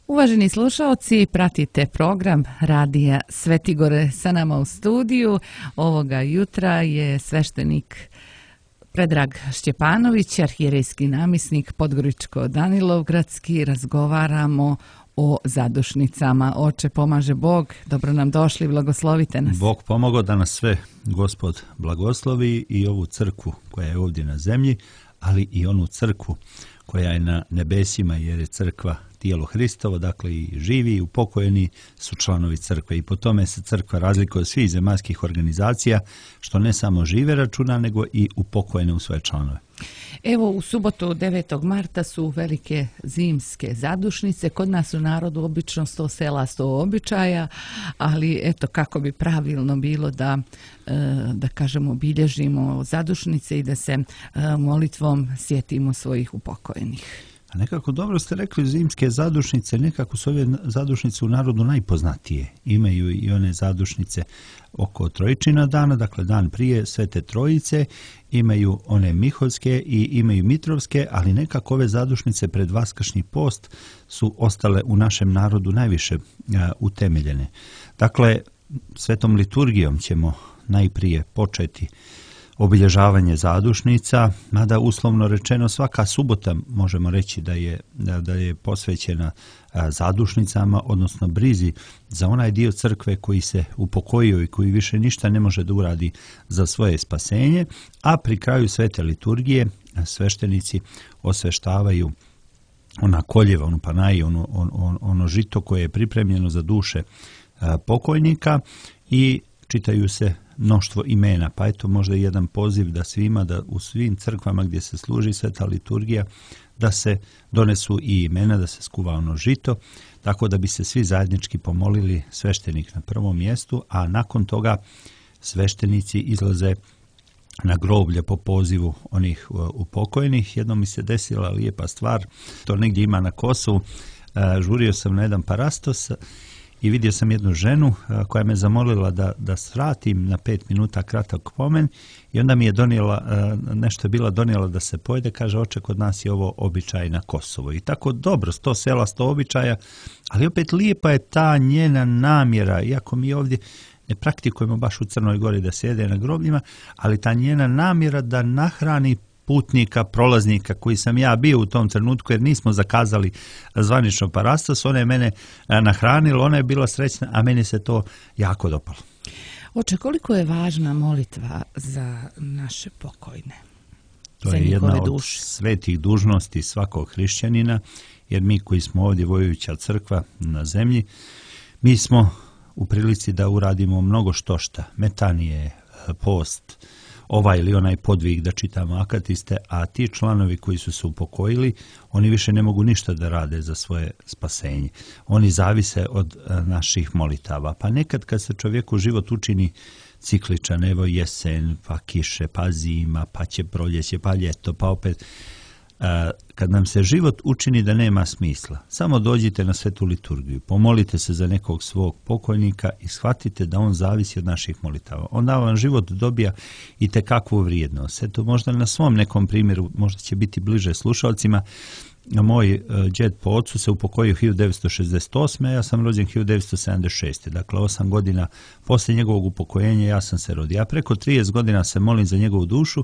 Uvaženi slušaoci, pratite program Radija Svetigore. Sa nama u studiju ovoga jutra je sveštenik Predrag Šćepanović, arhijerejski namjesnik Podgoričko-Danilovgradski. Razgovaramo o zadušnicama. Oče, pomaže Bog, dobro nam došli, blagoslovite nas. Bog pomogao da nas sve Gospod blagoslovi i ovu crkvu koja je ovdje na zemlji, ali i onu crkvu koja je na nebesima, jer je crkva tijelo Hristovo, dakle i živi i upokojeni su članovi crkve. I po tome se crkva razlikuje od svih zemaljskih organizacija, što ne samo žive računa, nego i upokojene u svoje članove. Evo, u subotu 9. marta su velike zimske zadušnice. Kod nas u narodu obično 100 sela, 100 običaja, ali eto kako bi pravilno bilo da kažemo obilježimo zadušnice i da se molitvom sjetimo svojih upokojenih. A nekako dobro ste rekli, zimske zadušnice, nekako su ove zadušnice u narodu najpoznatije. Imaju i one zadušnice oko Trojičina dana, dakle dan prije Svete Trojice, imaju one Miholjske i imaju Mitrovske, ali nekako ove zadušnice pred Vaskršnji post su ostale u našem narodu najviše utemeljene. Dakle, svetom liturgijom ćemo najprije početi obilježavanje zadušnica, mada uslovno rečeno svaka subota možemo reći da je posvećena zadušnicama, odnosno brizi za onaj dio crkve koji se upokojio i koji više ništa ne može da uradi za svoje spasenje, a pri kraju svete liturgije sveštenici osveštavaju ona koljeva, onu panaju, ono žito koje je pripremljeno za duše pokojnika i čitaju se mnoštvo imena, pa eto možda i jedan poziv da svima, da u svim crkvama gdje se služi sveta liturgija, da se donesu i imena, da se skuva ono žito, tako da bi se svi zajednički pomolili, sveštenik na prvom mjestu, a nakon toga sveštenici izlaze na groblje po pozivu onih upokojenih. Jednom mi se desila lijepa stvar, to negdje ima na Kosovu, žurio sam na jedan parastos i vidio sam jednu ženu koja me zamolila da svratim na 5 minuta kratak pomen i onda mi je donijela, nešto je bila donijela da se pojede, kaže oče, kod nas je ovo običaj na Kosovo. I tako dobro, 100 sela, 100 običaja, ali opet lijepa je ta njena namjera, iako mi ovdje ne praktikujemo baš u Crnoj Gori da se jede na grobljima, ali ta njena namjera da nahrani putnika, prolaznika koji sam ja bio u tom trenutku, jer nismo zakazali zvanično parastos, ona je mene nahranila, ona je bila srećna, a meni se to jako dopalo. Oče, koliko je važna molitva za naše pokojne? To je jedna od svetih dužnosti svakog hrišćanina, jer mi koji smo ovdje vojuća crkva na zemlji, mi smo u prilici da uradimo mnogo štošta, metanije, post, ovaj ili onaj podvig da čitamo akatiste, a ti članovi koji su se upokojili, oni više ne mogu ništa da rade za svoje spasenje. Oni zavise od naših molitava. Pa nekad kad se čovjeku život učini cikličan, evo jesen, pa kiše, pa zima, pa će proljeće, pa ljeto, pa opet kad nam se život učini da nema smisla, samo dođite na svetu liturgiju, pomolite se za nekog svog pokojnika i shvatite da on zavisi od naših molitava. Onda vam život dobija i tekakvu vrijednost. Eto, možda na svom nekom primjeru, možda će biti bliže slušalcima, moj džed po ocu se upokojio 1968. a ja sam rođen 1976. Dakle, 8 godina poslije njegovog upokojenja ja sam se rodio. Ja preko 30 godina se molim za njegovu dušu.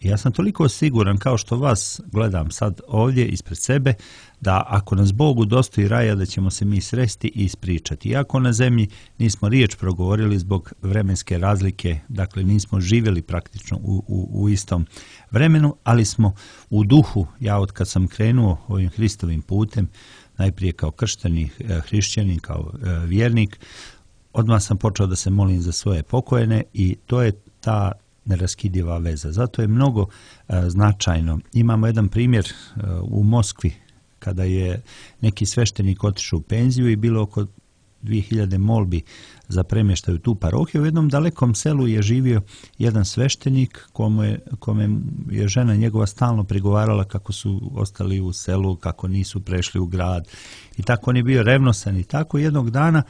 Ja sam toliko siguran, kao što vas gledam sad ovdje ispred sebe, da ako nas Bog udostoji raja, da ćemo se mi sresti i ispričati. Iako na zemlji nismo riječ progovorili zbog vremenske razlike, dakle nismo živjeli praktično u istom vremenu, ali smo u duhu, ja od kad sam krenuo ovim Hristovim putem, najprije kao kršteni hrišćanin, kao vjernik, odmah sam počeo da se molim za svoje pokojene i to je ta neraskidiva veza. Zato je mnogo značajno. Imamo jedan primjer u Moskvi kada je neki sveštenik otišao u penziju i bilo oko 2000 molbi za premještaj u tu parohiju. U jednom dalekom selu je živio jedan sveštenik kome je žena njegova stalno prigovarala kako su ostali u selu, kako nisu prešli u grad i tako on je bio revnosan i tako jednog dana,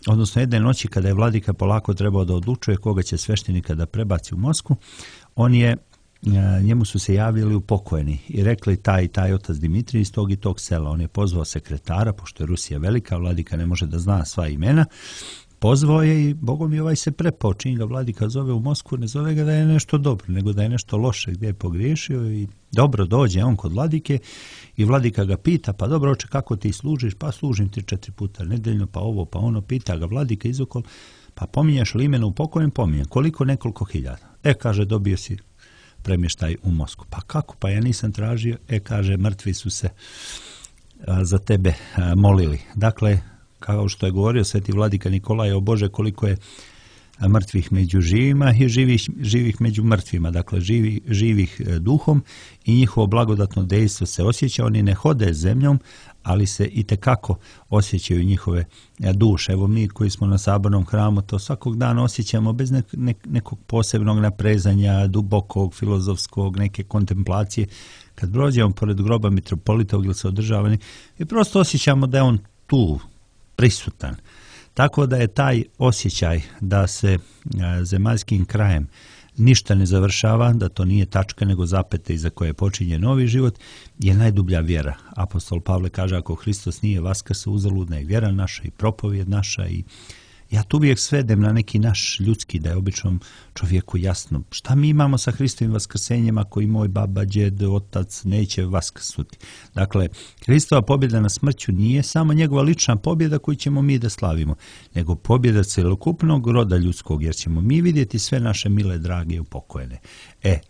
odnosno jedne noći kada je vladika polako trebao da odlučuje koga će sveštenika da prebaci u Moskvu, on je njemu su se javili upokojeni i rekli taj otac Dimitrij iz tog i tog sela. On je pozvao sekretara, pošto je Rusija velika, vladika ne može da zna sva imena. Pozvao je i Bogom mi ovaj se prepao, čim ga vladika zove u Moskvu, ne zove ga da je nešto dobro, nego da je nešto loše, gdje je pogriješio i dobro dođe on kod vladike i vladika ga pita, pa dobro oče, kako ti služiš? Pa služim 3-4 puta nedeljno, pa ovo, pa ono, pita ga vladika izokol, pa pominješ li imena upokojen? Pominjem. Koliko? Nekoliko hiljada. Kaže, dobio si premještaj u Moskvu. Pa kako? Pa ja nisam tražio. Kaže, mrtvi su se za tebe molili. Dakle, kao što je govorio sveti vladika Nikolaj, o Bože, koliko je mrtvih među živima i živih među mrtvima, dakle živih duhom i njihovo blagodatno dejstvo se osjeća. Oni ne hode zemljom, ali se itekako osjećaju njihove duše. Evo mi koji smo na sabornom hramu to svakog dana osjećamo bez nekog posebnog naprezanja, dubokog, filozofskog, neke kontemplacije. Kad prođemo pored groba mitropolita ili se održavani i prosto osjećamo da je on tu prisutan. Tako da je taj osjećaj da se zemaljskim krajem ništa ne završava, da to nije tačka nego zapete iza koje počinje novi život, je najdublja vjera. Apostol Pavle kaže, ako Hristos nije vaskrso, uzaludna je vjera naša i propovijed naša. I ja tu uvijek svedem na neki naš ljudski, da je običnom čovjeku jasno šta mi imamo sa Hristovim vaskrsenjem ako i moj baba, djed, otac neće vaskrsuti. Dakle, Hristova pobjeda na smrću nije samo njegova lična pobjeda koju ćemo mi da slavimo, nego pobjeda celokupnog roda ljudskog, jer ćemo mi vidjeti sve naše mile, drage i upokojene.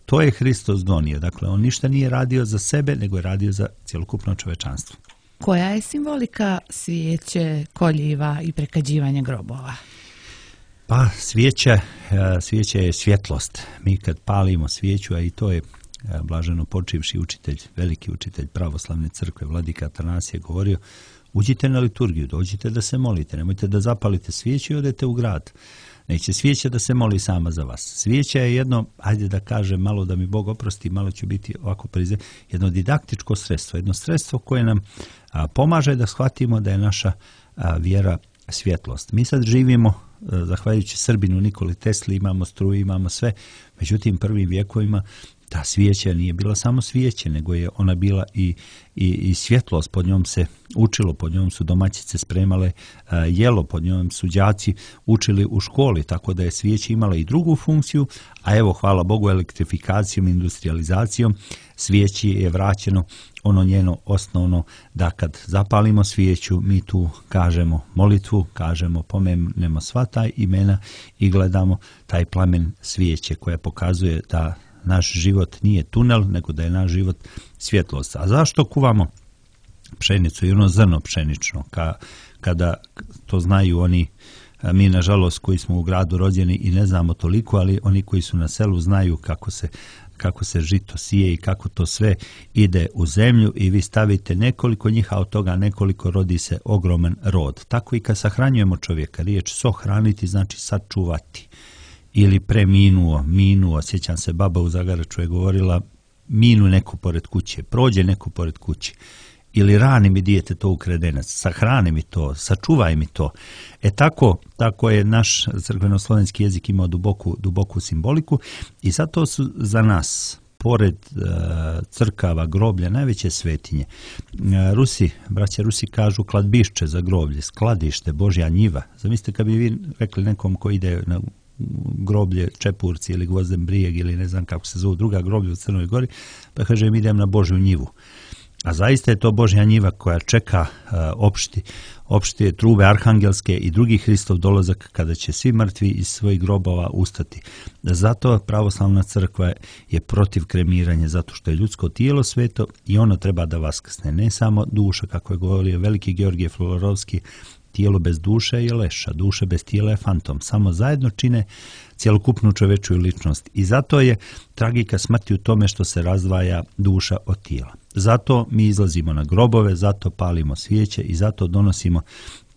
To je Hristos donio. Dakle, on ništa nije radio za sebe, nego je radio za cjelokupno čovečanstvo. Koja je simbolika svijeće, koljiva i prekađivanja grobova? Pa svijeća je svjetlost. Mi kad palimo svijeću, a i to je blaženo počivši učitelj, veliki učitelj pravoslavne crkve, vladika Atanasije, govorio, uđite na liturgiju, dođite da se molite, nemojte da zapalite svijeću i odete u grad. Neće svijeća da se moli sama za vas. Svijeća je jedno, ajde da kažem malo da mi Bog oprosti, malo ću biti ovako prize, jedno didaktičko sredstvo, jedno sredstvo koje nam pomaže da shvatimo da je naša vjera svjetlost. Mi sad živimo, zahvaljujući Srbinu Nikoli Tesli, imamo struju, imamo sve, međutim prvim vjekovima ta svijeća nije bila samo svijeće, nego je ona bila i svjetlost, pod njom se učilo, pod njom su domaćice spremale jelo, pod njom su đaci učili u školi, tako da je svijeća imala i drugu funkciju, a evo, hvala Bogu, elektrifikacijom, industrializacijom, svijeći je vraćeno ono njeno osnovno, da kad zapalimo svijeću, mi tu kažemo molitvu, kažemo, pomenemo sva ta imena i gledamo taj plamen svijeće koja pokazuje da naš život nije tunel, nego da je naš život svjetlost. A zašto kuvamo pšenicu i ono zrno pšenično? Kada to znaju oni, mi nažalost koji smo u gradu rođeni i ne znamo toliko, ali oni koji su na selu znaju kako se žito sije i kako to sve ide u zemlju i vi stavite nekoliko njih, a od toga nekoliko rodi se ogroman rod. Tako i kad sahranjujemo čovjeka, riječ sohraniti znači sačuvati. Ili minuo, sjećam se, baba u Zagaraču je govorila, minu neko pored kuće, prođe neko pored kuće, ili rani mi dijete to u kredenac, sahrani mi to, sačuvaj mi to. Tako je naš crkveno-slovenski jezik imao duboku simboliku i zato su za nas, pored crkava, groblja, najveće svetinje. Braća Rusi kažu kladbišće za groblje, skladište, Božja njiva. Zamislite kad bi vi rekli nekom ko ide na groblje Čepurci ili Gvozden Brijeg ili ne znam kako se zove druga groblja u Crnoj Gori, pa kaže idem na Božju njivu. A zaista je to Božja njiva koja čeka opšte trube arhangelske i drugi Hristov dolazak kada će svi mrtvi iz svojih grobova ustati. Zato pravoslavna crkva je protiv kremiranja, zato što je ljudsko tijelo sveto i ono treba da vaskrsne. Ne samo duša, kako je govorio veliki Georgije Florovski, tijelo bez duše je leša, duša bez tijela je fantom. Samo zajedno čine cjelokupnu čovečju ličnost. I zato je tragika smrti u tome što se razdvaja duša od tijela. Zato mi izlazimo na grobove, zato palimo svijeće i zato donosimo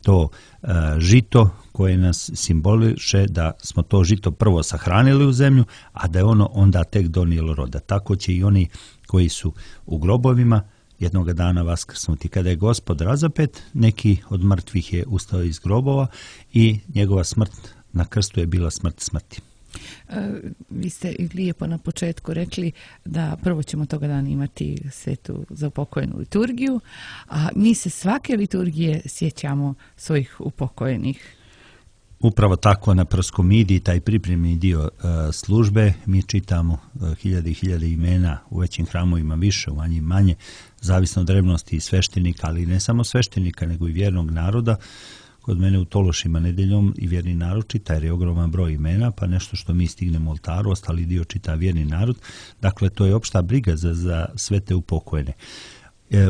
to žito koje nas simboliše da smo to žito prvo sahranili u zemlju, a da je ono onda tek donijelo roda. Tako će i oni koji su u grobovima jednoga dana vaskrsnuti. Kada je Gospod razapet, neki od mrtvih je ustao iz grobova i njegova smrt na krstu je bila smrt smrti. Vi ste lijepo na početku rekli da prvo ćemo toga dana imati svetu za upokojenu liturgiju, a mi se svake liturgije sjećamo svojih upokojenih. Upravo tako na proskomidiji, taj pripremni dio službe, mi čitamo hiljade imena, u većim hramovima više, u manjim manje, zavisno od revnosti sveštenika, ali ne samo sveštenika, nego i vjernog naroda. Kod mene u Tološima nedeljom i vjerni narod čita, jer je ogroman broj imena, pa nešto što mi stignemo u oltaru, ostali dio čita vjerni narod. Dakle, to je opšta briga za sve te upokojene.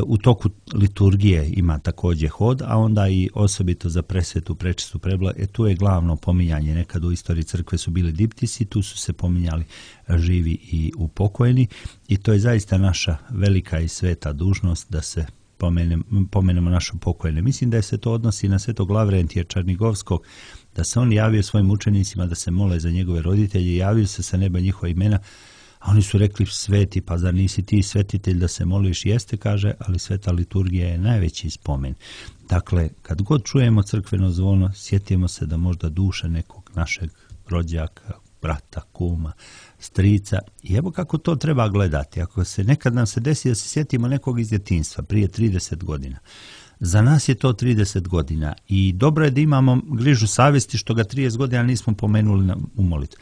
U toku liturgije ima također hod, a onda i osobito za presvetu, prečistu, prebla. Tu je glavno pominjanje. Nekad u istoriji crkve su bili diptisi, tu su se pominjali živi i upokojeni i to je zaista naša velika i sveta dužnost da se pomenemo naše pokojene. Mislim da se to odnosi na svetog Lavrentija Čarnigovskog, da se on javio svojim učenicima da se mole za njegove roditelje, javio se sa neba njihova imena, a oni su rekli: sveti, pa zar nisi ti svetitelj da se moliš? Jeste, kaže, ali sveta liturgija je najveći spomen. Dakle, kad god čujemo crkveno zvono, sjetimo se da možda duša nekog našeg rođaka, brata, kuma, strica, i evo kako to treba gledati. Ako se nekad nam se desi da se sjetimo nekog iz djetinjstva prije 30 godina, za nas je to 30 godina i dobro je da imamo grižu savjesti što ga 30 godina nismo pomenuli u molitvi.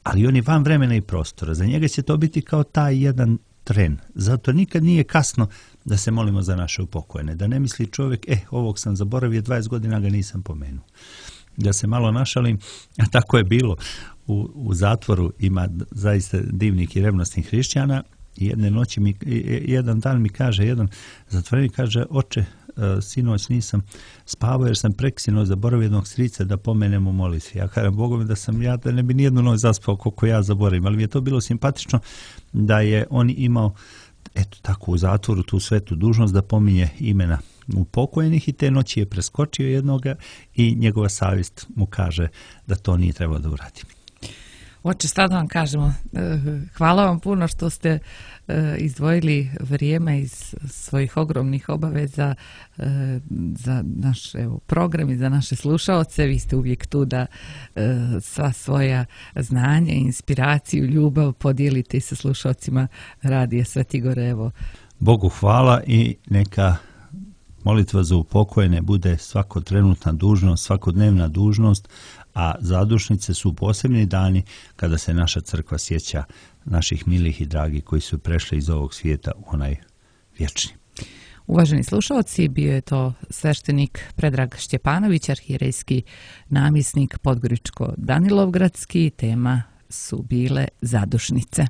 Ali on je van vremena i prostora. Za njega će to biti kao taj jedan tren. Zato nikad nije kasno da se molimo za naše upokojene. Da ne misli čovjek, ovog sam zaboravio, 20 godina ga nisam pomenuo. Da se malo našalim, a tako je bilo. U zatvoru ima zaista divnih i revnosnih hrišćana. Jedan dan mi kaže, jedan zatvorenik kaže: oče, sinoć nisam spavao jer sam preksinoć zaboravio jednog strica da pomenem u molitvi. Ja kažem Bogom da ne bi nijednu noć zaspao koliko ja zaboravim, ali mi je to bilo simpatično da je on imao tako u zatvoru tu svetu dužnost da pominje imena upokojenih i te noći je preskočio jednoga i njegova savjest mu kaže da to nije trebalo da uradi. Oče, šta da vam kažemo, hvala vam puno što ste izdvojili vrijeme iz svojih ogromnih obaveza za naš program i za naše slušaoce. Vi ste uvijek tu da sva svoja znanja, inspiraciju, ljubav podijelite sa slušaocima Radija Svetigore. Bogu hvala i neka molitva za upokojene bude svakotrenutna dužnost, svakodnevna dužnost, a zadušnice su posebni dani kada se naša crkva sjeća naših milih i dragih koji su prešli iz ovog svijeta u onaj vječni. Uvaženi slušalci, bio je to sveštenik Predrag Šćepanović, arhijerejski namjesnik Podgoričko-Danilovgradski. Tema su bile zadušnice.